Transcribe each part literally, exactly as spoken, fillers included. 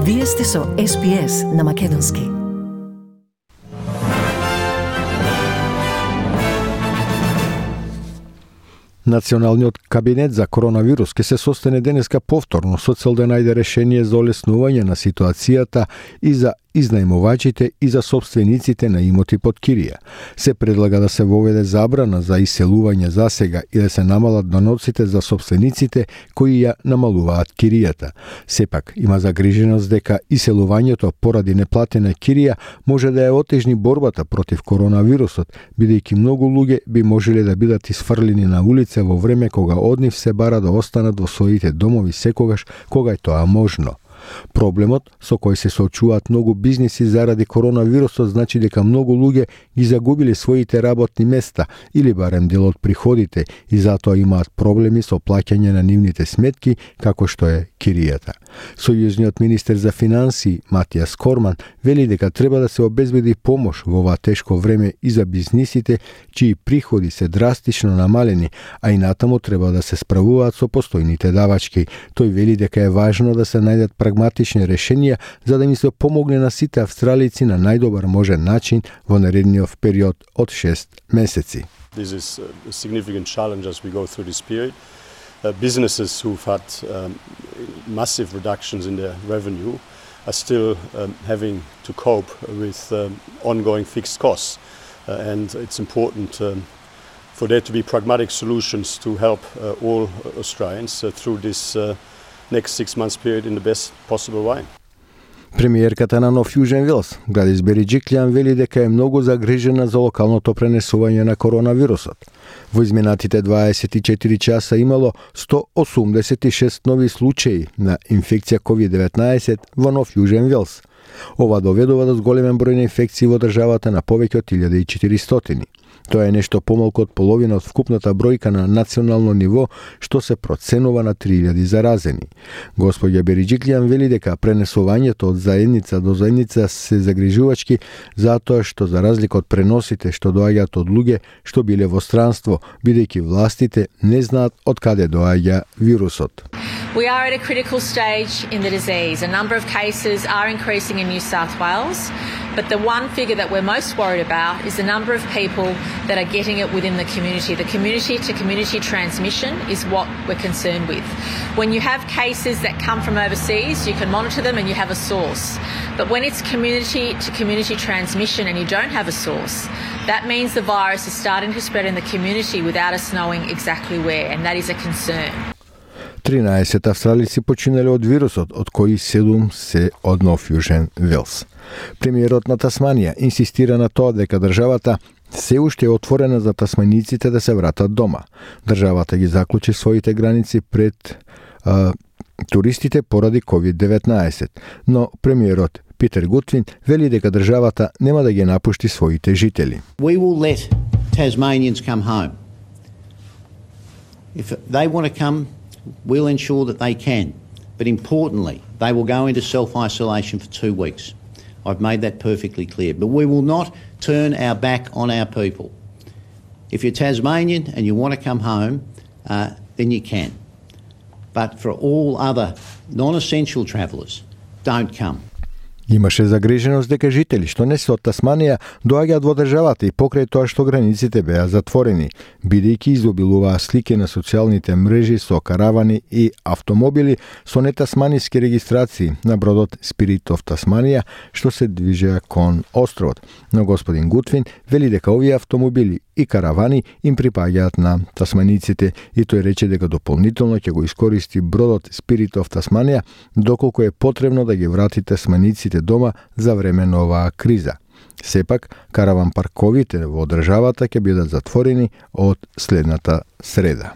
Вие сте со Ес Би Ес на Македонски. Националниот кабинет за коронавирус ќе се состане денеска повторно со цел да најде решение за олеснување на ситуацијата и за изнајмувачите и за собствениците на имоти под кирија. Се предлага да се воведе забрана за иселување засега и да се намалат доноците за собствениците кои ја намалуваат киријата. Сепак има загриженост дека иселувањето поради неплатена кирија може да ја отежни борбата против коронавирусот, бидејќи многу луѓе би можеле да бидат исфрлени на улица во време кога од нив се бара да останат во своите домови секогаш кога е тоа можно. Проблемот со кој се соочуваат многу бизниси заради коронавирусот значи дека многу луѓе ги загубиле своите работни места или барем дел од приходите и затоа имаат проблеми со плаќање на нивните сметки како што е киријата. Сојузниот министер за финансии Матијас Корман вели дека треба да се обезбеди помош во ова тешко време и за бизнисите чии приходи се драстично намалени, а и натаму треба да се справуваат со постојните давачки. Тој вели дека е важно да се најдат прагматични решенија за да им се помогне на сите австралици на најдобар можен начин во наредниот период од шест месеци. This is a significant challenge as we go through this period. Uh, businesses who've had um, massive reductions in their revenue are still um, having to cope with um, ongoing fixed costs. Uh, and it's important um, for there to be pragmatic solutions to help uh, all Australians uh, through this uh, next six months period in the best possible way. Премиерката на Нов Јужен Велс, Гладис Бериџиклијан, вели дека е многу загрижена за локалното пренесување на коронавирусот. Во изминатите дваесет и четири часа имало сто осумдесет и шест нови случаи на инфекција ковид деветнаесет во Нов Јужен Велс. Ова доведува до зголемен број на инфекции во државата на повеќе од илјада и четиристотини. Тоа е нешто помалку од половина од вкупната бројка на национално ниво, што се проценува на три илјади заразени. Господја Бериџиклијан вели дека пренесувањето од заедница до заедница се загрижувачки затоа што за разлика од преносите што доаѓаат од луѓе што биле во странство, бидејќи властите не знаат од каде доаѓа вирусот. We are at a critical stage in the disease. A number of cases are increasing in New South Wales, but the one figure that we're most worried about is the number of people that are getting it within the community. The community-to-community transmission is what we're concerned with. When you have cases that come from overseas, you can monitor them and you have a source. But when it's community-to-community transmission and you don't have a source, that means the virus is starting to spread in the community without us knowing exactly where, and that is a concern. тринаесет австралици починале од вирусот, од кои седум се од Нов Јужен Велс. Премиерот на Тасманија инсистира на тоа дека државата се уште е отворена за тасманиците да се вратат дома. Државата ги заклучи своите граници пред а, туристите поради ковид деветнаесет, но премиерот Питер Гутвин вели дека државата нема да ги напушти своите жители. We will let Tasmanians come home. If they want to come, we'll ensure that they can. But importantly, they will go into self-isolation for two weeks. I've made that perfectly clear. But we will not turn our back on our people. If you're Tasmanian and you want to come home, uh, then you can. But for all other non-essential travellers, don't come. Имаше загриженост дека жители што не се од Тасманија доаѓаат во државата и покрај тоа што границите беа затворени, бидејќи изобилуваа слики на социјалните мрежи со каравани и автомобили со нетасманиски регистрации на бродот Spirit of Tasmania што се движеа кон островот. Но господин Гутвин вели дека овие автомобили и каравани им припаѓаат на тасманиците и тој рече дека дополнително ќе го искористи бродот Spirit of Tasmania доколку е потребно да ги врати тасманиците дома за време на оваа криза. Сепак, караван парковите во државата ќе бидат затворени од следната среда.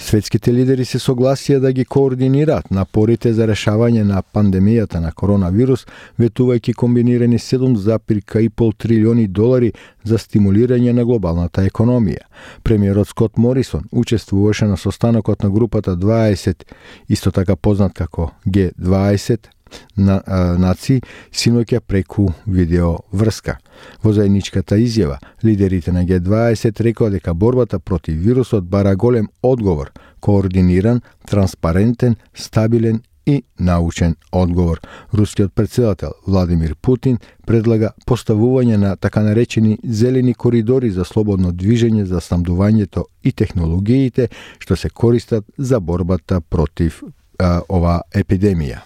Светските лидери се согласија да ги координираат напорите за решавање на пандемијата на коронавирус, ветувајќи комбинирани седум зарез и пет трилиони долари за стимулирање на глобалната економија. Премиерот Скот Морисон учествуваше на состанокот на групата дваесет, исто така познат како Г дваесет, на, а, нации синоќа преку видео врска. Во заедничката изјава, лидерите на Г дваесет рекоа дека борбата против вирусот бара голем одговор, координиран, транспарентен, стабилен и и научен одговор. Рускиот председател Владимир Путин предлага поставување на така наречени зелени коридори за слободно движење за снабдувањето и технологиите што се користат за борбата против а, ова епидемија.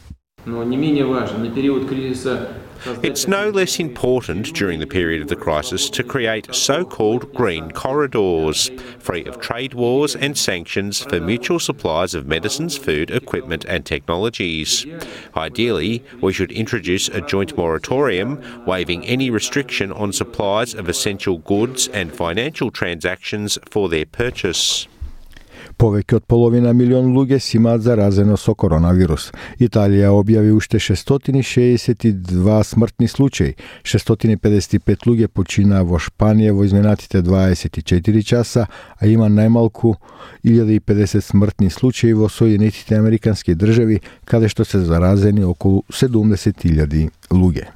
Но не менее важно, на период кризиса It's no less important during the period of the crisis to create so-called green corridors, free of trade wars and sanctions for mutual supplies of medicines, food, equipment and technologies. Ideally, we should introduce a joint moratorium, waiving any restriction on supplies of essential goods and financial transactions for their purchase. Повеќе од половина милион луѓе си имаат заразено со коронавирус. Италија објави уште шестстотини шеесет и два смртни случаи. шестстотини педесет и пет луѓе починаа во Шпанија во изминатите дваесет и четири часа, а има најмалку илјада и педесет смртни случаи во Соединетите Американски држави, каде што се заразени околу седумдесет илјади луѓе.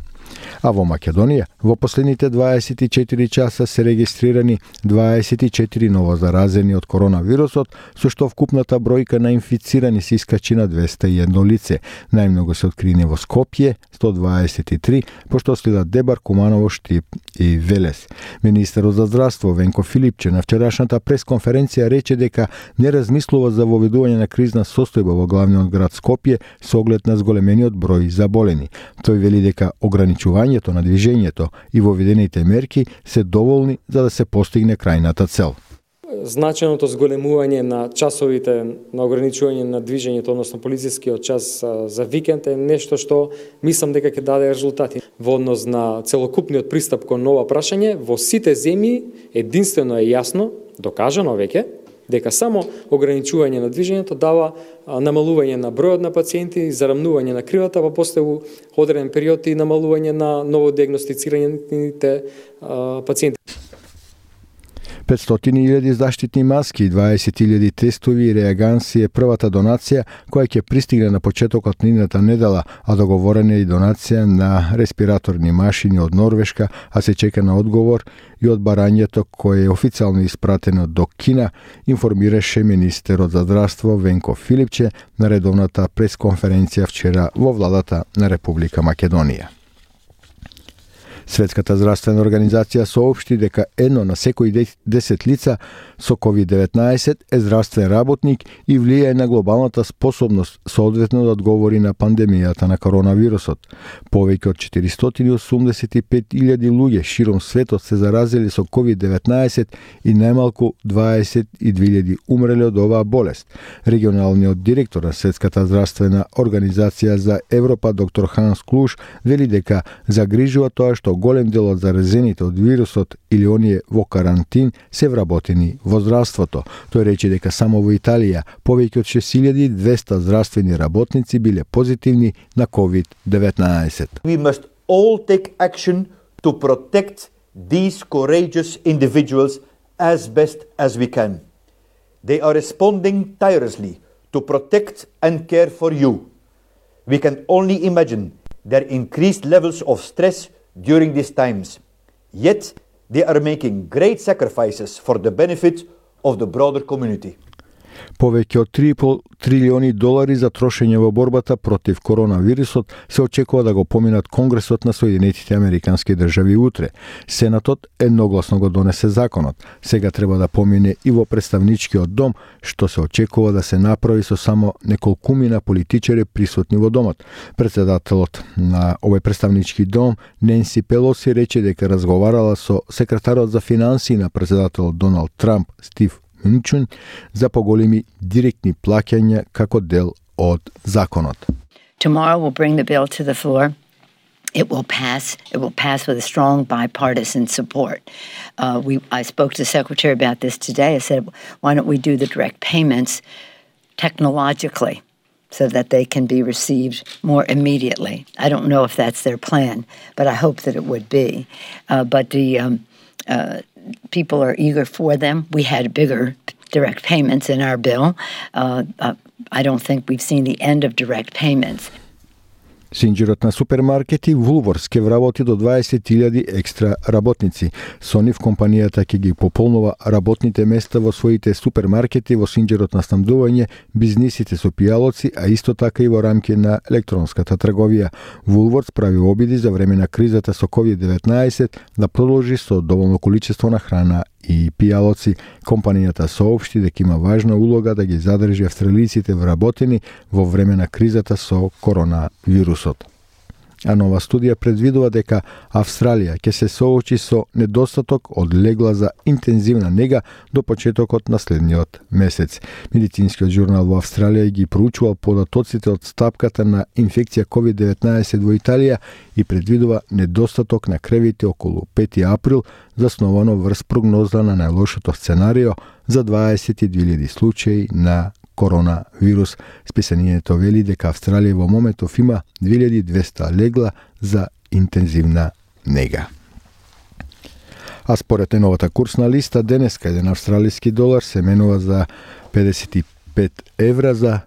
А во Македонија, во последните дваесет и четири часа се регистрирани дваесет и четири ново заразени од коронавирусот, со што вкупната бројка на инфицирани се искачи на двесте и едно лице. Најмногу се открини во Скопје, сто дваесет и три, пошто следат Дебар, Куманово, Штип и Велес. Министерот за здравство Венко Филипче на вчерашната пресконференција рече дека не размислува за воведување на кризна состојба во главниот град Скопје со оглед на зголемениот број заболени. Тој вели дека ограничувањето на движењето и воведените мерки се доволни за да се постигне крајната цел. Значајното зголемување на часовите на ограничување на движењето, односно полицискиот час за викенд е нешто што мислам дека ќе даде резултати. Во однос на целокупниот пристап кон ова прашање, во сите земји единствено е јасно, докажано веќе, дека само ограничување на движењето дава намалување на бројот на пациенти, зарамнување на кривата, па после у одреден период и намалување на новодиагностицираните пациенти. петстотини илјади заштитни маски и дваесет илјади тестови и реаганси е првата донација која ќе пристигне на почетокот на идната недела, а договорена е и донација на респираторни машини од Норвешка, а се чека на одговор и од барањето кое е официјално испратено до Кина, информираше министерот за здравство Венко Филипче на редовната пресконференција вчера во владата на Република Македонија. Светската здравствена организација соопшти дека едно на секои десет лица со ковид деветнаесет е здравствен работник и влијае на глобалната способност соодветно да одговори на пандемијата на коронавирусот. Повеќе од четиристотини и осумдесет и пет илјади луѓе широм светот се заразили со ковид деветнаесет и најмалку дваесет и две илјади умреле од оваа болест. Регионалниот директор на Светската здравствена организација за Европа доктор Ханс Клуш вели дека загрижува тоа што голем дел од заразените од вирусот или оние во карантин се вработени во здравството. Тој рече дека само во Италија повеќе од шест илјади и двесте здравствени работници биле позитивни на ковид деветнаесет. We must all take action to protect these courageous individuals as best as we can. They are responding tirelessly to protect and care for you. We can only imagine their increased levels of stress during these times. Yet, they are making great sacrifices for the benefit of the broader community. Повеќе од три и пол трилиони долари за трошење во борбата против коронавирусот се очекува да го поминат Конгресот на Соединетите Американски држави утре. Сенатот едногласно го донесе законот. Сега треба да помине и во представничкиот дом, што се очекува да се направи со само неколкумина политичари присутни во домот. Председателот на овој представнички дом, Ненси Пелоси, рече дека разговарала со секретарот за финансии на председателот Доналд Трамп, Стив Минчун, за поголеми директни плаќања како дел од законот. Tomorrow we'll bring the bill to the floor. It will pass. It will pass with a strong bipartisan support. Uh, we, I spoke to the Secretary about this today. I said, why don't we do the direct payments technologically so that they can be received more immediately? I don't know if that's their plan, but I hope that it would be. Uh, but the um, uh, people are eager for them. We had bigger direct payments in our bill. Uh, uh, I don't think we've seen the end of direct payments. Синџирот на супермаркети Woolworths ќе вработи до дваесет илјади екстра работници. Со нив компанијата ќе ги пополнува работните места во своите супермаркети во синџирот на снабдување, бизнисите со пијалоци, а исто така и во рамки на електронската трговија. Woolworths прави обиди за време на кризата со ковид деветнаесет да продолжи со доволно количество на храна и пијалоци. Компанијата соопшти дека има важна улога да ги задржи австралиците вработени во време на кризата со коронавирусот. А нова студија предвидува дека Австралија ќе се соочи со недостаток од легла за интензивна нега до почетокот на следниот месец. Медицинскиот журнал во Австралија ги проучувал податоците од стапката на инфекција ковид деветнаесет во Италија и предвидува недостаток на кревите околу пети април, засновано врз прогноза на најлошото сценарио за дваесет и две илјади случаи на коронавирус. Списанието вели дека Австралија во моментов има две илјади и двесте легла за интензивна нега. А според новата курсна листа, денеска еден австралиски долар се менува за педесет и пет евра, за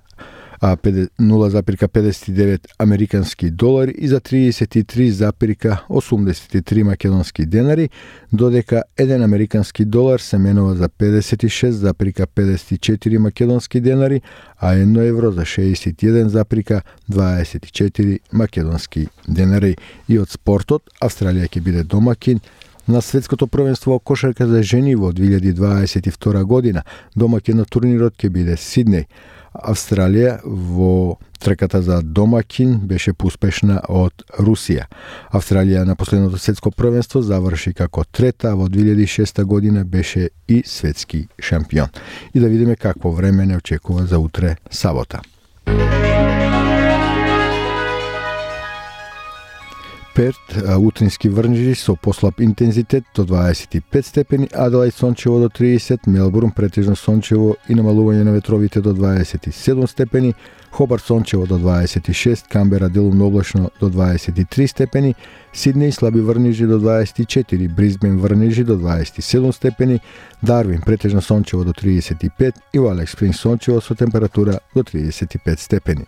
а нула запирка педесет и девет американски долари и за триесет и три запирка осумдесет и три македонски денари, додека еден американски долар се менува за педесет и шест запирка педесет и четири македонски денари, а едно евро за шеесет и еден запирка дваесет и четири македонски денари. И од спортот, Австралија ќе биде домакин на светското првенство во кошарка за жени во две илјади дваесет и втора година. Домакин на турнирот ќе биде Сиднеј. Австралија во трката за домакин беше поуспешна од Русија. Австралија на последното светско првенство заврши како трета, а во две илјади и шеста година беше и светски шампион. И да видиме какво време не очекува за утре сабота. Перт, утрински врнежи со послаб интензитет до дваесет и пет степени, Аделаид сончево до тридесет, Мелбурн претежно сончево и намалување на ветровите до дваесет и седум степени, Хобарт сончево до дваесет и шест, Камбера делумно облачно до дваесет и три степени, Сиднеј слаби врнежи до дваесет и четири, Брисбен врнежи до дваесет и седум степени, Дарвин претежно сончево до тридесет и пет и во Алекс Спрингс сончево со температура до тридесет и пет степени.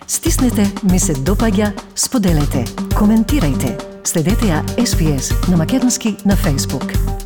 Стиснете, ми се допаѓа, споделете, коментирајте. Следете ја Ес Би Ес на македонски на Facebook.